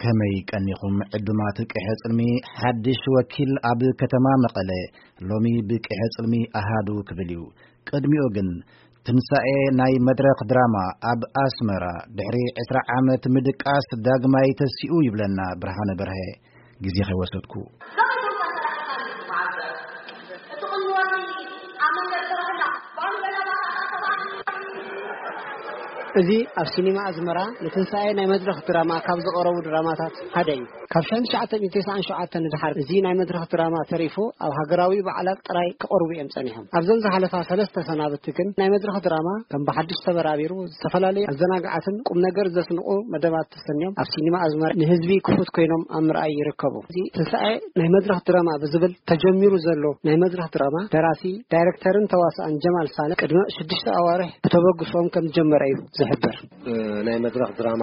ከመይ ቀኒኹም ዕዱማት ቅሐ ጽልሚ? ሓድሽ ወኪል ኣብ ከተማ መቐለ ሎሚ ብቅሐ ጽልሚ ኣሃዱ ክብል እዩ። ቅድሚኡ ግን ትንሳኤ ናይ መድረኽ ድራማ ኣብ ኣስመራ ድሕሪ ዕስራ ዓመት ምድቃስ ዳግማይ ተሲኡ ይብለና ብርሃነ በርሀ። ግዜ ከይወሰድኩ እዚ ኣብ ሲኒማ ኣዝመራ ንትንሳኤ ናይ መድረኽ ድራማ ካብ ዝቐረቡ ድራማታት ሓደ እዩ። ካብ ሸሕን ትሽዓተ ሚእትን ተስዓን ሸውዓተን ንድሓር እዚ ናይ መድረኽ ድራማ ተሪፉ ኣብ ሃገራዊ በዓላት ጥራይ ክቐርቡ እዮም ጸኒሖም። ኣብዘን ዝሓለፋ ሰለስተ ሰናብቲ ግን ናይ መድረኽ ድራማ ከም ብሓድሽ ተበራቢሩ ዝተፈላለዩ ኣዘናጋዓትን ቁም ነገር ዘስንቑ መደባት ተሰንዮም ኣብ ሲኒማ ኣዝመራ ንህዝቢ ክፉት ኮይኖም ኣብ ምርኣይ ይርከቡ። እዚ ትንሳኤ ናይ መድረኽ ድራማ ብዝብል ተጀሚሩ ዘሎ ናይ መድረኽ ድራማ ደራሲ፣ ዳይሬክተርን ተዋሳእን ጀማል ሳልሕ ቅድሚ ሽዱሽተ ኣዋርሕ ብተበግሶም ከም ዝጀመረ እዩ ዝሕበር። ናይ መድረኽ ድራማ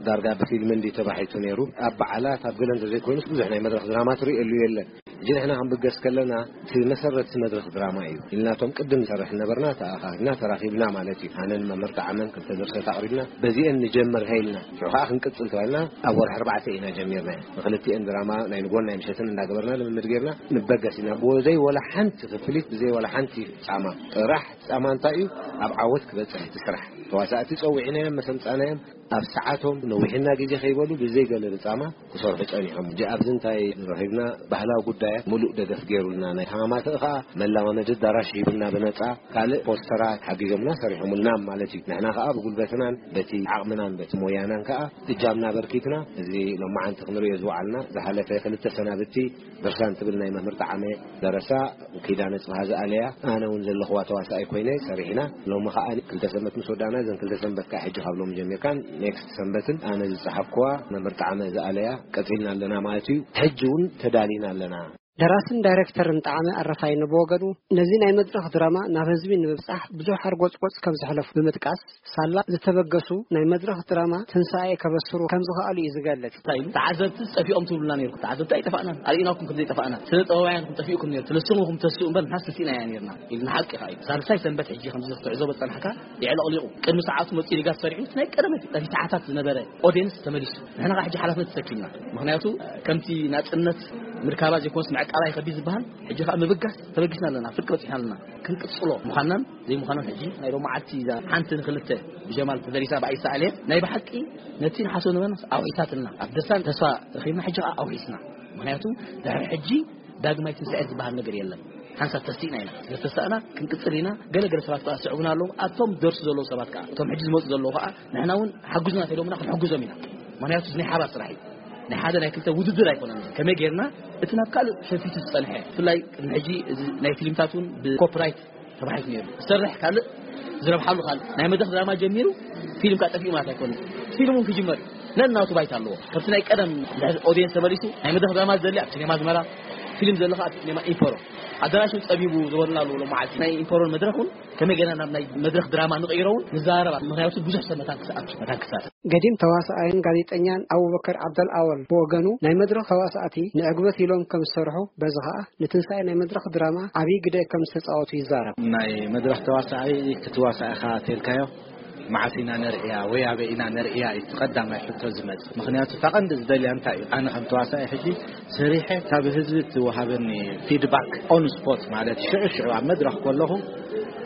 ዳርጋ ብፊልም እንዲ ተባሒቱ ነይሩ። ኣብ በዓላት ኣብ ገለ እንተዘይኮይኑስ ብዙሕ ናይ መድረኽ ድራማ ትርእየሉ የለን። ሕጂ ንሕና ክንብገስ ከለና እቲ መሰረት መድረኽ ድራማ እዩ ኢልናቶም ቅድም ንሰርሕ ነበርና፣ ተኣኻኺብና ተራኺብና ማለት እዩ። ኣነን መምህር ጣዕመን ክልተ ድርሰት ኣቕሪብና በዚአን ንጀምር ሃይልና ሽዑ ከዓ ክንቅጽል ተባልና ኣብ ወርሒ ኣርባዕተ ኢና ጀሚርና። ንክልቲአን ድራማ ናይ ንጎን ናይ ምሸትን እንዳገበርና ልምምድ ጌርና ንበገስ ኢና። ብዘይ ወላ ሓንቲ ክፍሊት፣ ብዘይ ወላ ሓንቲ ጻማ። ጥራሕ ጻማ እንታይ እዩ? ኣብ ዓወት ክበጽሕ እቲ ስራሕ። ተዋሳእቲ ጸዊዕናዮም፣ መሰምጻናዮም፣ ኣብ ሰዓቶም ነዊሕና ግዜ ከይበሉ ብዘይ ገለ ብጻማ ክሰርሑ ጸኒሖም። ሕጂ ኣብዚ እንታይ ረኺብና? ባህላዊ ጉዳያት ምሉእ ደገፍ ገይሩልና፣ ናይ ተማማትኢ ከኣ መለማመዲ ኣዳራሽ ሂቡና ብነጻ፣ ካልእ ፖስተራት ሓጊዞምና ሰሪሖምልና ማለት እዩ። ንሕና ከኣ ብጉልበትናን በቲ ዓቕምናን በቲ ሞያናን ከኣ እጃምና በርኪትና፣ እዚ ሎማዓንቲ ክንርእዮ ዝወዓልና ዝሓለፈ ክልተ ሰናብቲ ድርሳን ትብል ናይ መምህር ጣዕመ ደረሳ፣ ኪዳነ ጽብሃ ዝኣለያ፣ ኣነ እውን ዘለኽዋ ተዋሳኣይ ኮይነ ሰሪሕና። ሎሚ ከኣ ክልተ ሰንበት ምስ ወዳእና፣ እዘን ክልተ ሰንበት ከኣ ሕጂ ካብ ሎሚ ጀሚርካን ኔክስት ሰንበትን ኣነ ዝጸሓፍክዋ መምህር ጣዕመ ዝኣለያ ቀጺልና ኣለና ማለት እዩ። ሕጂ እውን ተዳሊና ኣለና። ደራስን ዳይሬክተርን ጣዕመ ኣረፋይነ ብወገኑ፣ ነዚ ናይ መድረኽ ድራማ ናብ ህዝቢ ንምብጻሕ ብዙሕ ሓርጎጽጎጽ ከም ዘሕለፉ ብምጥቃስ፣ ሳላ ዝተበገሱ ናይ መድረኽ ድራማ ትንሳኤ ከበስሩ ከም ዝኸኣሉ እዩ ዝገልጽ። እንታይ ኢሉ? ተዓዘብቲ ጠፊኦም ትብሉና ነይርኩም። ተዓዘብቲ ኣይጠፋእናን። ኣርእናኩም ከም ዘይጠፋእና። ስነ ጥበባውያን ጠፊእኩም ነይሩ። ትልስሙኹም ተስኡ እምበር ንሓስ ተሲእና እያ ነይርና። ኢልና ሓቂ ኸኣ እዩ። ሳልሳይ ሰንበት ሕጂ ከምዚ ክትዕዘቦ ዝጸናሕካ የዕለቕሊቑ። ቅድሚ ሰዓቱ መጺኡ ሊጋስ ሰሪዑ፣ እቲ ናይ ቀደም በቲ ተዓታት ዝነበረ ኦድየንስ ተመሊሱ። ንሕና ኸኣ ሕጂ ሓላፍነት ተሰኪምና። ምኽንያቱ ከምቲ ናጽነት ምርካባ ዘይኮነስ ምዕቃባ ይኸቢድ ዝበሃል፣ ሕጂ ኸኣ ምብጋስ ተበጊስና ኣለና። ፍርቂ በጺሕና ኣለና። ክንቅጽሎ ምዃንናን ዘይምዃንናን ሕጂ ናይ ሎማዓልቲ እዛ ሓንቲ ንክልተ ብጀማል ተደሪሳ ብኣይ ሰኣልየ ናይ ብሓቂ ነቲ ንሓስቦ ነበርና ኣውሒሳትልና። ኣብ ደስታን ተስፋ ረኺብና፣ ሕጂ ኸኣ ኣውሒስና። ምኽንያቱ ድሕሪ ሕጂ ዳግማይ ትንሳኤ ዝበሃል ነገር የለን። ሓንሳብ ተሲእና ኢና። ስለ ተሳእና ክንቅጽል ኢና። ገለ ገለ ሰባት ከኣ ዝስዕቡና ኣለዉ። ኣብቶም ደርሱ ዘለዉ ሰባት ከኣ፣ እቶም ሕጂ ዝመጹ ዘለዉ ከኣ ንሕና እውን ሓግዙና እንተኢሎምና ክንሕግዞም ኢና። ምኽንያቱ እዚ ናይ ሓባር ስራሕ እዩ። ናይ ሓደ ናይ ክልተ ውድድር ኣይኮነን። ከመይ ጌርና እቲ ናብ ካልእ ሸፊቱ ዝጸንሐ፣ ብፍላይ ቅድሚ ሕጂ እዚ ናይ ፊልምታት እውን ብኮፒራይት ተባሒቱ ነይሩ። ዝሰርሕ ካልእ፣ ዝረብሓሉ ካልእ። ናይ መድረኽ ድራማ ጀሚሩ ፊልም ከኣ ጠፊኡ ማለት ኣይኮነን። ፊልም እውን ክጅመር እዩ። ነናቱ ባይታ ኣለዎ። ከምቲ ናይ ቀደም ኦድየንስ ተመሊሱ ናይ መድረኽ ድራማ ዝደሊ ኣብ ሲኔማ ኣዝመራ፣ ፊልም ዝደሊ ከኣ ኣብ ሲኔማ ኢምፐሮ። ኣዳራሽ እውን ጸቢቡ ዝበሉና ኣለዉ። ሎማዓልቲ ናይ ኢምፐሮን መድረኽ እውን ከመይ ጌርና ናብ ናይ መድረኽ ድራማ ንቕይሮ እውን ንዘራረብ። ምኽንያቱ ብዙሕ ሰብ መታን ክስኣል፣ መታን ክሳተፍ። ገዲም ተዋሳኣይን ጋዜጠኛን ኣቡበከር ዓብደልኣወል ብወገኑ፣ ናይ መድረኽ ተዋሳእቲ ንዕግበት ኢሎም ከም ዝሰርሑ፣ በዚ ኸኣ ንትንሳኤ ናይ መድረኽ ድራማ ዓብዪ ግደ ከም ዝተጻወቱ ይዛረብ። ናይ መድረኽ ተዋሳኣይ፣ እቲ ተዋሳኣይ ኢኻ ተልካዮ፣ መዓስ ኢና ነርእያ ወይ ኣበይ ኢና ነርእያ እዩ እቲ ቀዳማይ ሕቶ ዝመጽእ። ምኽንያቱ እታ ቀንዲ ዝደልያ እንታይ እዩ? ኣነ ከም ተዋሳኣይ ሕጂ ሰሪሐ ካብ ህዝቢ እቲ ወሃበኒ ፊድባክ ኦን ስፖት፣ ማለት ሽዑ ሽዑ ኣብ መድረኽ ከለኹ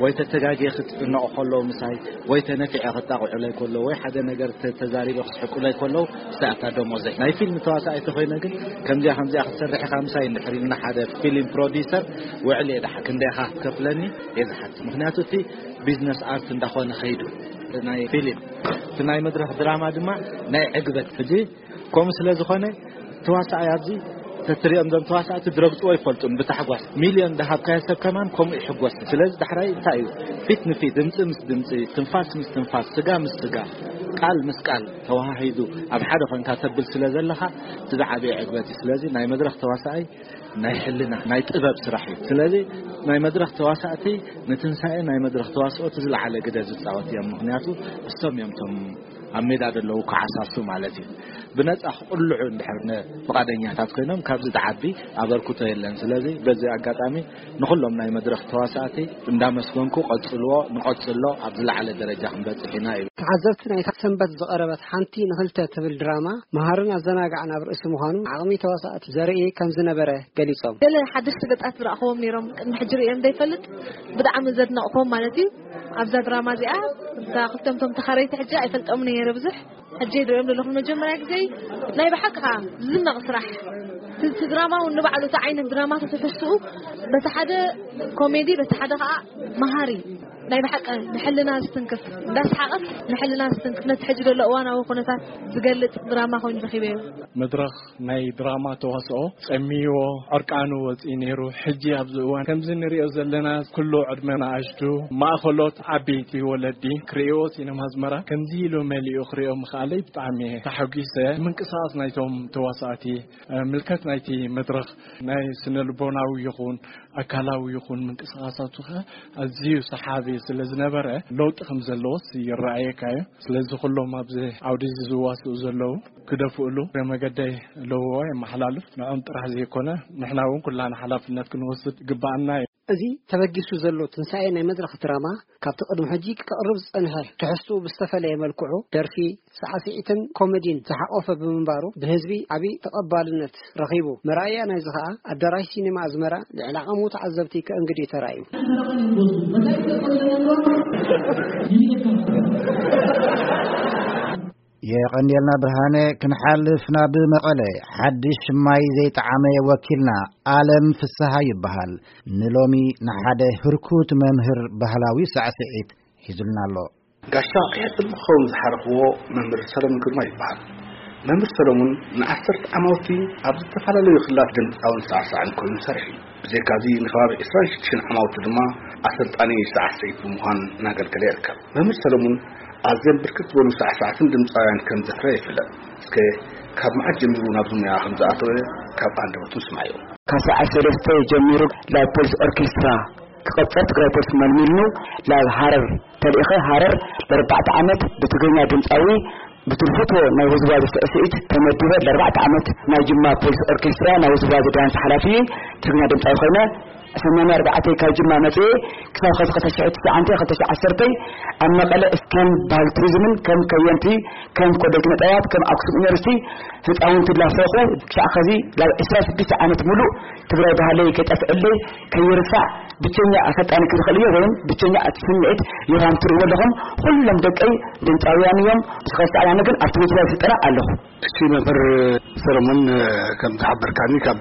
ወይ ተተጋግየ ክትጭነቑ ከለዉ ምሳይ፣ ወይ ተነፊዐ ክጣቕዑለይ ከለዉ፣ ወይ ሓደ ነገር ተ-፣ ተዛሪበ ክስሕቁለይ ከለዉ፣ እሳ እታ ደሞዘይ። ናይ ፊልም ተዋሳኣይ ተኾይነ ግን ከምዚኣ ከምዚኣ ክትሰርሕ ኢኻ ምሳይ እንድሕር ኢልና ሓደ ፊልም ፕሮዲሰር ውዕል እየ ድሓር። ክንደይ ኢኻ ክትከፍለኒ እየ ዝሓትት። ምኽንያቱ እቲ ቢዝነስ ኣርት እንዳኾነ ኸይዱ። ናይ ፊልም፣ እቲ ናይ መድረኽ ድራማ ድማ ናይ ዕግበት። ሕጂ ከምኡ ስለ ዝኾነ ተዋሳኣይ ኣብዚ ተትሪኦም፣ እዞም ተዋሳእቲ ድረግጽዎ ኣይፈልጡን። ብታሕጓስ ሚልዮን ደሃብካዮ ሰብ ከማን ከምኡ ይሕጎስ። ስለዚ ዳሕራይ እንታይ እዩ? ፊት ንፊት፣ ድምጺ ምስ ድምጺ፣ ትንፋስ ምስ ትንፋስ፣ ስጋ ምስ ስጋ፣ ቃል ምስ ቃል ተወሃሂዱ ኣብ ሓደ ኮንካ ተብል ስለ ዘለኻ፣ እቲ ዝዓበየ ዕግበት እዩ። ስለዚ ናይ መድረኽ ተዋሳኣይ ናይ ሕልና፣ ናይ ጥበብ ስራሕ እዩ። ስለዚ ናይ መድረኽ ተዋሳእቲ ንትንሳኤ ናይ መድረኽ ተዋስኦ እቲ ዝለዓለ ግደ ዝጻወት እዮም። ምኽንያቱ እሶም እዮም እቶም ኣብ ሜዳ ዘለዉ ክዓሳሱ ማለት እዩ። ብነጻ ክቕልዑ እንድሕር ነ-፣ ፍቓደኛታት ኮይኖም ካብዚ ዝዓቢ ኣበርክቶ የለን። ስለዚ በዚ ኣጋጣሚ ንኹሎም ናይ መድረኽ ተዋሳእቲ እንዳመስገንኩ ቀጽልዎ፣ ንቐጽሎ ኣብ ዝለዓለ ደረጃ ክንበጽሕ ኢና እዩ። ተዓዘብቲ ናይታ ሰንበት ዝቐረበት ሓንቲ ንኽልተ ትብል ድራማ መሃርን ኣዘናጋዕን ኣብ ርእሲ ምዃኑ ዓቕሚ ተዋሳእቲ ዘርኢ ከም ዝነበረ ገሊጾም። ገለ ሓደሽቲ ገጻት ዝረኣኽዎም ነይሮም፣ ቅድሚ ሕጂ ርእዮም ዘይፈልጥ፣ ብጣዕሚ ዘድነቕክዎም ማለት እዩ። ኣብዛ ድራማ እዚኣ እታ ክልተምቶም ተኻረይቲ ሕጂ ኣይፈልጦምን እየ ነይረ ብዙሕ። ሕጂ ይርእዮም ዘለኹ መጀመርያ ግዜ። ናይ ብሓቂ ከዓ ዝድነቕ ስራሕ። እቲ ድራማ እውን ንባዕሉ እቲ ዓይነት ድራማ ተትሕዝኡ፣ በቲ ሓደ ኮሜዲ፣ በቲ ሓደ ከዓ መሃሪ፣ ናይ ብሓቂ ንሕልና ዝትንክፍ፣ እንዳስሓቐት ንሕልና ዝትንክፍ፣ ነቲ ሕጂ ዘሎ እዋናዊ ኩነታት ዝገልጽ ድራማ ኮይኑ ረኺበዮ። መድረኽ ናይ ድራማ ተዋስኦ ጸሚዎ ዕርቃኑ ወጺኡ ነይሩ። ሕጂ ኣብዚ እዋን ከምዚ ንሪኦ ዘለና ኩሉ ዕድመ ንኣሽቱ፣ ማእኸሎት፣ ዓበይቲ ወለዲ ክርእይዎ ሲነማ ኣዝመራ ከምዚ ኢሉ መሊኡ ክርእዮ ምኽኣለይ ብጣዕሚ እየ ተሓጒሰ። ምንቅስቓስ ናይቶም ተዋሳእቲ፣ ምልከት ናይቲ መድረኽ ናይ ስነ ልቦናዊ ይኹን ኣካላዊ ይኹን ምንቅስቓሳቱ ከ ኣዝዩ ሰሓቢ ስለ ዝነበረ ለውጢ ከም ዘለዎስ ይረኣየካ እዩ። ስለዚ ኩሎም ኣብዚ ዓውዲ እዚ ዝዋስኡ ዘለዉ ክደፍእሉ እግረ መገደይ ለውዎ የመሓላልፍ። ንዕኦም ጥራሕ ዘይኮነ ንሕና እውን ኩላና ሓላፍነት ክንወስድ ይግባኣና እዩ። እዚ ተበጊሱ ዘሎ ትንሳኤ ናይ መድረኽ ድራማ ካብቲ ቅድሚ ሕጂ ክቕርብ ዝጸንሐ ትሕዝትኡ ብዝተፈለየ መልክዑ ደርፊ፣ ሳዕስዒትን ኮሜዲን ዝሓቖፈ ብምንባሩ ብህዝቢ ዓቢ ተቐባልነት ረኺቡ። መርኣያ ናይዚ ከኣ ኣዳራሽ ሲኔማ ኣዝመራ ልዕሊ ዓቐሙ ተዓዘብቲ ከእንግድ እዩ ተራእዩ። የቐንየልና ብርሃነ። ክንሓልፍ ናብ መቐለ፣ ሓድሽ ማይ ዘይጠዓመ ወኪልና ኣለም ፍስሃ ይበሃል። ንሎሚ ንሓደ ህርኩት መምህር ባህላዊ ሳዕስዒት ሒዙልና ኣሎ። ጋሻ ይሕብር ንክኸውን ዝሓረኽዎ መምህር ሰለሙን ግርማ ይበሃል። መምህር ሰለሙን ንዓሰርተ ዓማውቲ ኣብ ዝተፈላለዩ ክልላት ድምፃውን ሳዕሳዕን ኮይኑ ሰርሑ እዩ። ብዘይካዚ ንከባቢ ዕስራን ሽዱሽተን ዓማውቲ ድማ ኣሰልጣኒ ሳዕስዒት ብምዃን እናገልገለ ይርከብ። መምህር ሰለሙን ኣዝዮም ብርክት ዝበሉ ሳዕሳዕትን ድምፃውያን ከም ዘፍረየ ይፍለጥ። እስከ ካብ መዓስ ጀሚሩ ናብዚ ሙያ ከም ዝኣተወ ካብ ኣንደበቱ ንስማዮ። ካብ ሰዓት ሰለስተ ጀሚሩ ናብ ፖሊስ ኦርኬስትራ ክቐጽር ትግራይ ፖሊስ መልሚልኑ ናብ ሃረር ተልኢኸ። ሃረር ለርባዕተ ዓመት ብትግርኛ ድምፃዊ ብትልፍቶ ናይ ውዝዋዜ ስዕስዒት ተመዲበ ለርባዕተ ዓመት ናይ ጅማ ፖሊስ ኦርኬስትራ ናይ ውዝዋዜ ዳንስ ሓላፊ ትግርኛ ድምፃዊ ኮይነ ሰማንያ ኣርባዕተ ካብ ጅማ መፅኤ ክሳብ ኸዚ ክልተ ሽሕ ትሽዓተ ክልተ ሽሕ ዓሰርተ ኣብ መቐለ ከም ባህል ቱሪዝምን ከም ከየንቲ ከም ኮሌጅ መጠያት ከም ኣክሱም ዩኒቨርሲቲ ህፃውንቲ ላፍረኹ ክሳዕ ኸዚ ናብ ዕስራ ሽዱሽተ ዓመት ሙሉእ ትግራይ ባህለይ ከይጠፍዕለይ ከይርሳዕ ብቸኛ ኣሰልጣኒ ክዝኽእል እየ ወይም ብቸኛ እቲ ስምዒት ዮሃም ትርእይዎ ኣለኹም። ኩሎም ደቀይ ድምፃውያን እዮም። ብዝኸሳዕ ኣነ ግን ኣብቲ ውዝዋዜ ስልጠና ኣለኹ። እሺ መምህር ሰለሞን፣ ከም ዝሓበርካኒ ካብ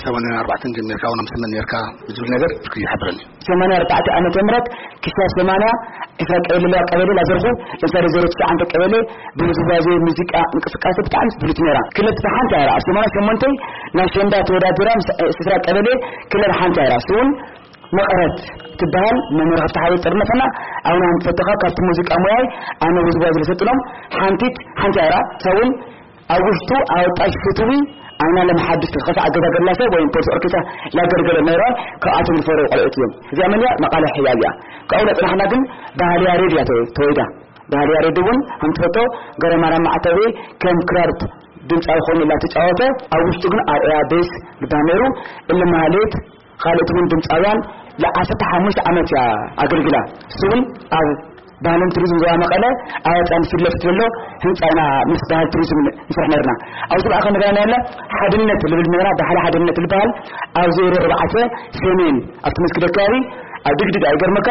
ሰማንያ ኣርባዕተ ጀሚርካ እውን ኣብ ስመን ነርካ ዝብል ነገር እስኪ ሓብረኒ። ሰማንያ ኣርባዕተ ዓመተ ምህረት ክሳብ ሰማንያ ዕስራ ቀበሌ ኣለዋ። ቀበሌ ላዘርኩ ለምሳሌ ዜሮ ትሽዓተ ቀበሌ ብውዝዋዜ ሙዚቃ እንቅስቃሴ ብጣዕሚ ፍሉት ነራ። ክለት ብሓንቲ ኣራ ኣብ ሰማንያ ሸሞንተ ናብ ሸንዳ ተወዳዲራ ምስ ዕስራ ቀበሌ ክለት ሓንቲ ኣራ ስውን መቐረት ትበሃል መምህር ሃብተሓወይ ጥርነፈና ኣውና ንፈተኻ ካብቲ ሙዚቃ ሙያይ ኣነ ውዝዋዜ ዝሰጥኖም ሓንቲት ሓንቲ ኣራ ሰውን ኣብ ውሽጡ ኣወጣሽ ፍትዊ ኣይናለም ሓድሽ ተኸሳ ኣገዛገላ ሰብ ወይም ፖሊስ ኦርኬታ ላገርገለ ነይራ። ካብኣቶም ዝፈረው ቆልዑት እዮም። እዚኣ መን እያ? መቓለ ሕያብ እያ። ካብኡ ለጽናሕና ግን ባህሊ ያሬድ እያ ተወ-፣ ተወይዳ። ባህሊ ያሬድ እውን ከም ትፈቶ ገረማራ ማዕተቤ ከም ክራር ድምፃዊ ኮይኑ ላተጫወተ ኣብ ውሽጡ ግን ኣርያ ቤስ ልባል ነይሩ። እሊ ማህሌት ካልኦት እውን ድምፃውያን ለ15 ዓመት እያ ኣገልግላ። እሱ እውን ኣብ ባህልን ቱሪዝም ዞባ መቐለ ኣብ ኣፃን ፊት ለፊት ዘሎ ህንፃ ኢና ምስ ባህል ቱሪዝም ንስራሕ ነርና። ኣብዚ ከዓ ክንገና ያለ ሓድነት ልብል ነገራ ባህሊ ሓድነት ልበሃል ኣብ ዜሮ ኣርባዕተ ሰሜን ኣብቲ መስጊድ ኣካባቢ ኣብ ድግድግ ኣይገርመካ።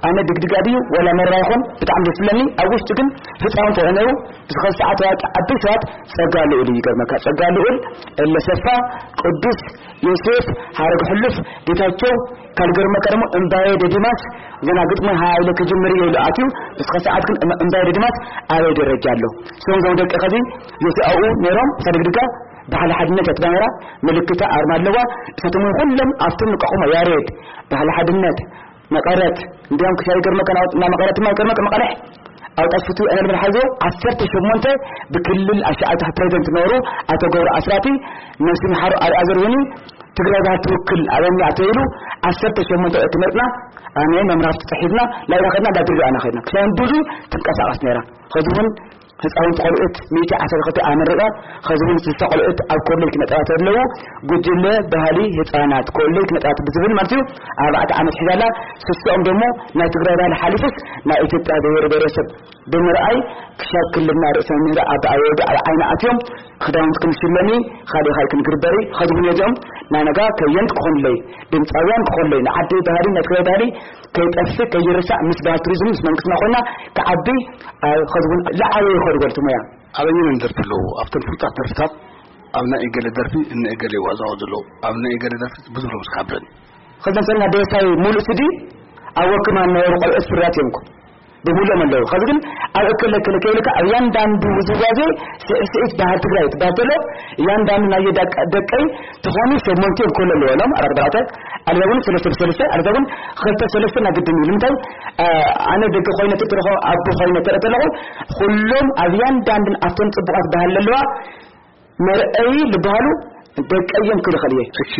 ኣነ ድግድግ ኣድዩ ወላ መራ ይኹን ብጣዕሚ ደስ ዝብለኒ ኣብ ውሽጡ ግን ህፃውንቲ ተኾነው ብዝኸ ሰዓት ዓበይ ሰባት ጸጋ ልኡል እዩ ይገርመካ። ጸጋ ልኡል፣ እለ ሰፋ፣ ቅዱስ፣ ዮሴፍ፣ ሐረግ ሕሉፍ፣ ጌታቸው፣ ካልገርመካ ደግሞ እምባዬ ደዲማስ ገና ግጥሚ ሃይለ ክጅምር እየ ኢሉ ኣትዩ። እስከ ሰዓት ግን እም-፣ እምባዬ ደዲማስ ኣበይ ደረጃ ኣሎ? እሶም ዞም ደቂ ኸዚ ዮሴ ኣብኡ ነይሮም፣ እሳ ድግድጋ ባህሊ ሓድነት እያ ትባነራ፣ ምልክታ ኣርማ ኣለዋ። እሳቶም እውን ኩሎም ኣብቶም ንቀኹሞ ያሬድ፣ ባህሊ ሓድነት፣ መቐረት፣ እንዲያም ክሻ ይገርመካ፣ ናብ መቐረት ድማ ይገርመካ፣ መቐለሕ ኣውጣት ፍትዊ ዕነል መልሓዞ ዓሰርተ ሸሞንተ ብክልል ኣሻዓይታ ፕሬዚደንት ነበሩ ኣቶ ገብሩ ኣስራቲ ነፍሲ መሓሩ ኣርኣያ ዘርሁኒ ትግራይ ባህል ትውክል ኣበኛ ተይሉ ዓሰርተ ሸሞንተ ዕለት መርጥና ኣነ መምራፍቲ ተሒዝና ላይና ኸድና እንዳድሪ ኣና ኸድና ክሳብ ብዙ ትንቀሳቐስ ነይራ። ኸዚ እውን ህፃውንቲ ቆልዑት ሚእቲ ዓሰርተ ክልተ ኣመሪቐ። ኸዚ እውን ስልሳ ቆልዑት ኣብ ኮሌጅ ክነጠባት ኣለዉ። ጉጅለ ባህሊ ህፃናት ኮሌጅ ክነጠባት ብዝብል ማለት እዩ። ኣርባዕተ ዓመት ሒዛላ። ስሶኦም ደሞ ናይ ትግራይ ባህሊ ሓሊፉስ ናይ ኢትዮጵያ ብሄር ብሄረሰብ ብምርኣይ ክሻብ ክልልና ርእሰ ምህረ ኣብ ኣወዱ ኣብ ዓይኒ ኣትዮም። ክዳውንት ክንሽለሚ፣ ካልእ ካልእ ክንግርበሪ። ኸዚ እውን እዚኦም ናይ ነጋ ከየንት ክኾኑለይ፣ ድምፃውያን ክኾኑለይ፣ ንዓደይ ባህሊ ናይ ትግራይ ባህሊ ከይጠፍእ ከይርሳዕ ምስ ባህል ቱሪዝም ምስ መንግስትና ኮይና ክዓቢ። ኸዚ እውን ዝዓበየ ይኸዱ በልቲ ሞያ። ኣበየን ደርፊ ኣለዉ ኣብተን ፍሉጣት ደርፍታት? ኣብ ናይ እገለ ደርፊ እነ እገለ ይዋዛወ ዘለዉ ኣብ ናይ እገለ ደርፊ ብዙ ሎም ስካብረን። ኸዚ መሰለና ደሳይ ሙሉእ ስዲ ኣብ ወክማ ነበሩ ቆልዑት ፍርያት እዮም እኮ ብሙሉኦም ኣለዉ። ኸዚ ግን ኣብ እከለ እከለ ከይልካ ኣብ ያንዳንዱ ውዝዋዜ ስዕስዒት ባህል ትግራይ ትባተሎ። ያንዳንዱ ናይ ደቀ- ደቀይ ትኾኑ ሸሞንተ እዮም ኮሎ ኣለዎ ሎም ኣራት በራተ ኣልዛ እውን ሰለስተ ብሰለስተ ኣልዛ እውን ኸልተ ሰለስተ ናይ ግድን እዩ። ንምንታይ? ኣነ ደቂ ኮይነ ተረኸ ኣቦ ኮይነ ተረተለኹ ኩሎም ኣብ ያንዳንድን ኣብቶም ፅቡቃት ባህል ኣለዋ መርአይ ዝበሃሉ ደቀዮም ክልኸል እየ። እሺ፣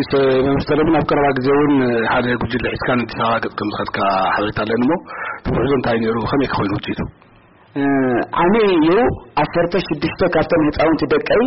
መምስተር እውን ኣብ ቀረባ ግዜ እውን ሓደ ጉጅለ ሒዝካ ንኣዲስ ኣበባ ገፅ ከም ዝኸድካ ሓበሬታ ኣለኒ እሞ፣ ብውሕዱ እንታይ ነይሩ? ከመይ ክኾይኑ ውፅኢቱ? ዓሚ እዩ። ዓሰርተ ሽዱሽተ ካብቶም ህፃውንቲ ደቀይ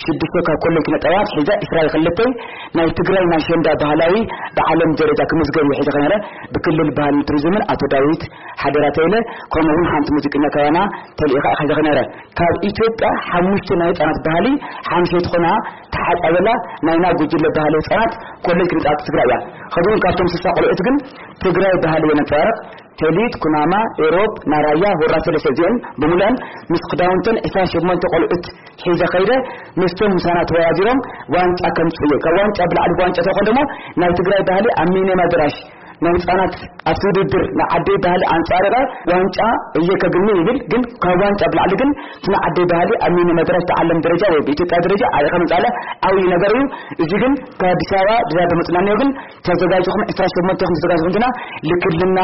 ሽዱሽተ ካብ ኮሌጅ ክነጠባት ሒዛ ኢስራኤል ክልተይ ናይ ትግራይ ናይ ሸንዳ ባህላዊ ብዓለም ደረጃ ክምዝገብ እዩ ሒዘ ከነረ ብክልል ባህልን ቱሪዝምን ኣቶ ዳዊት ሓደራ ተይለ ከምኡ እውን ሓንቲ ሙዚቀኛ ካባና ተልኢኻ ሒዘ ከነረ ካብ ኢትዮጵያ ሓሙሽተ ናይ ህፃናት ባህሊ ሓምሸይቲ ኮና ተሓፃበላ ናይና ጉጅለ ባህሊ ህፃናት ኮሌጅ ክንፃት ትግራይ እያ። ከዚ እውን ካብቶም ስሳ ቆልዑት ግን ትግራይ ባህሊ የነፃርቕ። ተሊት፣ ኩናማ፣ ኤሮብ፣ ናራያ፣ ሁራ ሰለስተ እዚኦም ብምሉአን ምስ ክዳውንተን ዕስራ ሸሞንተ ቆልዑት ሒዘ ከይደ ምስቶም ምሳና ተወዳዲሮም ዋንጫ ከምፅኡ እየ። ካብ ዋንጫ ብላዕሊ ዋንጫ ተኾን ደሞ ናይ ትግራይ ባህሊ ኣብ ሚኒማ ድራሽ ናይ ህፃናት ኣብቲ ውድድር ናይ ዓደይ ባህሊ ኣንፃርቐ ዋንጫ እየ ከግኒ ይብል። ግን ካብ ዋንጫ ብላዕሊ ግን እቲ ናይ ዓደይ ባህሊ ኣብ ሚኒ መድረክ ዓለም ደረጃ ወይ ብኢትዮጵያ ደረጃ ዓሪኻ ምፃለ ዓብዪ ነገር እዩ። እዚ ግን ካብ ኣዲስ ኣበባ ብዛ ተመፅናኒዮ ግን ተዘጋጅኹም ዕስራ ሸሞንተ ኹም ተዘጋጅኹም ግና ልክልና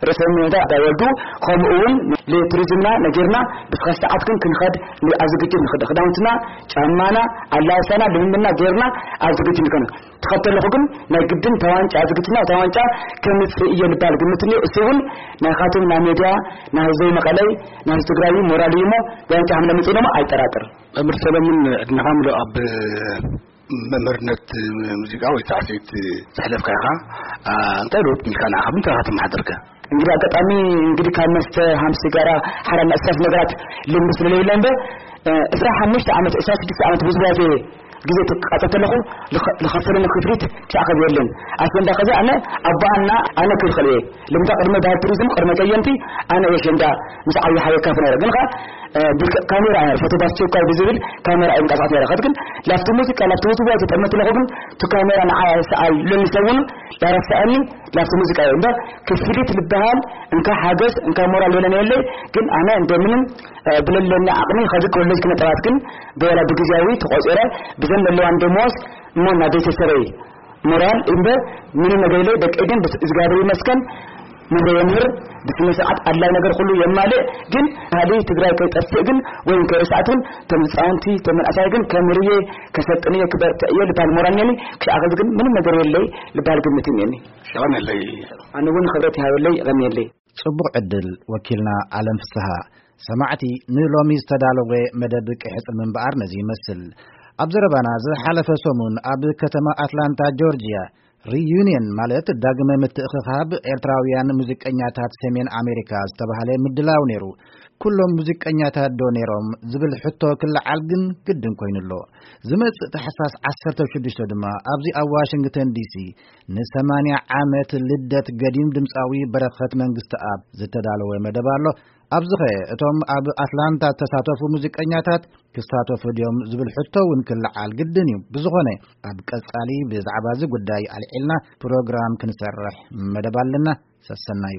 ርእሰ ምሕዳር ኣዳወልዱ ከምኡ እውን ለቱሪዝምና ነጊርና ብስኻ ሰዓት ግን ክንኸድ ኣብ ዝግጅት ንኽድ ክዳውንትና ጫማና ኣላሳና ልምምና ጌርና ኣብ ዝግጅት ንከን ተኸተልኹ ግን ናይ ግድን ተዋንጫ ዝግጅትና ተዋንጫ ከምፅእ እየ ልባል ግምት እኒኦ። እሱ እውን ናይ ካቶም ናይ ሜድያ ናይ ህዝበይ መቐለይ ናይ ህዝቢ ትግራይ ሞራል እዩ እሞ ዋንጫ ከም ለምፅእ ደሞ ኣይጠራጥር። መምህር ሰለሙን ዕድሜኻ ምሉእ ኣብ መምህርነት ሙዚቃ ወይ ሳዕስዒት ዘሕለፍካ ኢኻ። እንታይ ለውጥ ኢልካ ንዓኻ ብምንታይ ኢኻ ተመሓደርከ? እንግዲህ ኣጋጣሚ እንግዲህ ካብ መስተ ሃም ሲጋራ ሓራ ናይ እስራፍ ነገራት ልምዲ ስለለይለ እንደ እስራ ሓሙሽተ ዓመት እስራ ሽዱሽተ ዓመት ብዙ ግዜ ግዜ ክቃፀል ከለኹ ልኸ- ልኸፈለኒ ክፍሊት ክሳዕ ከዚ የለን። ኣሸንዳ ከዚ ኣነ ኣቦኣና ኣነ ክልኸል እየ። ልምታ ቅድመ ባህል ቱሪዝም ቅድመ ከየንቲ ኣነ የሸንዳ ምስ ዓብዪ ሓወይ ካፍ ነረ ግን ኸ ካሜራ እያ ፎቶ ባስቸኳይ ብዝብል ካሜራ እየ ምንቀሳቀስ ነረ። ከዚ ግን ላፍቲ ሙዚቃ ላፍቲ ውዝዋዜ ተጠመት ለኹ ግን እቲ ካሜራ ንዓ ሰኣል ሎሚ ሰውኑ ዳረሰኣኒ ላፍቲ ሙዚቃ እየ እምበር ክፍሊት ልበሃል እንካ ሓገዝ እንካ ሞራል ሎለነ የለይ። ግን ኣነ እንደምንም ብለለኒ ዓቕሚ ከዚ ኮሌጅ ክነጠባት ግን ብወላ ብግዜያዊ ተቆፂረ ብዘን ዘለዋን ደሞዝ እሞ ናብ ቤተሰበይ ሞራል እምበር ምንም ነገር የለይ። ደቂ ግን ብስ እግዚኣብሔር ይመስገን ምሁር የምህር ብስነ ስርዓት ኣድላይ ነገር ኩሉ የማልእ። ግን ባህሊ ትግራይ ከይጠፍእ ግን ወይም ከይረሳዕት ግን ተምፃውንቲ ተመንእሳይ ግን ከምርየ ከሰልጥንየ ክበርትዕየ ልባል ሞራል ነኒ። ክሻዕ ከዚ ግን ምንም ነገር የለይ ልባል ግምት እኔኒ። ሸቐን የለይ። ኣነ እውን ክብረት ይሃበለይ ይቐንየለይ። ጽቡቕ ዕድል ወኪልና ኣለም ፍስሃ። ሰማዕቲ ንሎሚ ዝተዳለወ መደብ ቅሕጽል ምንባር ነዚ ይመስል። ኣብ ዘረባና ዝሓለፈ ሰሙን ኣብ ከተማ ኣትላንታ ጆርጅያ ሪዩኒየን ማለት ዳግመ ምትእኽኻብ ኤርትራውያን ሙዚቀኛታት ሰሜን ኣሜሪካ ዝተባህለ ምድላው ነይሩ። ኩሎም ሙዚቀኛታት ዶ ነይሮም ዝብል ሕቶ ክለዓል ግን ግድን ኮይኑ ኣሎ። ዝመጽእ ታሕሳስ ዓሰርተ ሽዱሽተ ድማ ኣብዚ ኣብ ዋሽንግተን ዲሲ ንሰማንያ ዓመት ልደት ገዲም ድምፃዊ በረኸት መንግስቲ ኣብ ዝተዳለወ መደብ ኣሎ። ኣብዚኸ እቶም ኣብ ኣትላንታ ዝተሳተፉ ሙዚቀኛታት ክሳተፉ ድዮም ዝብል ሕቶ እውን ክለዓል ግድን እዩ። ብዝኾነ ኣብ ቀጻሊ ብዛዕባ እዚ ጉዳይ ኣልዒልና ፕሮግራም ክንሰርሕ መደብ ኣለና። ሰሰናዩ።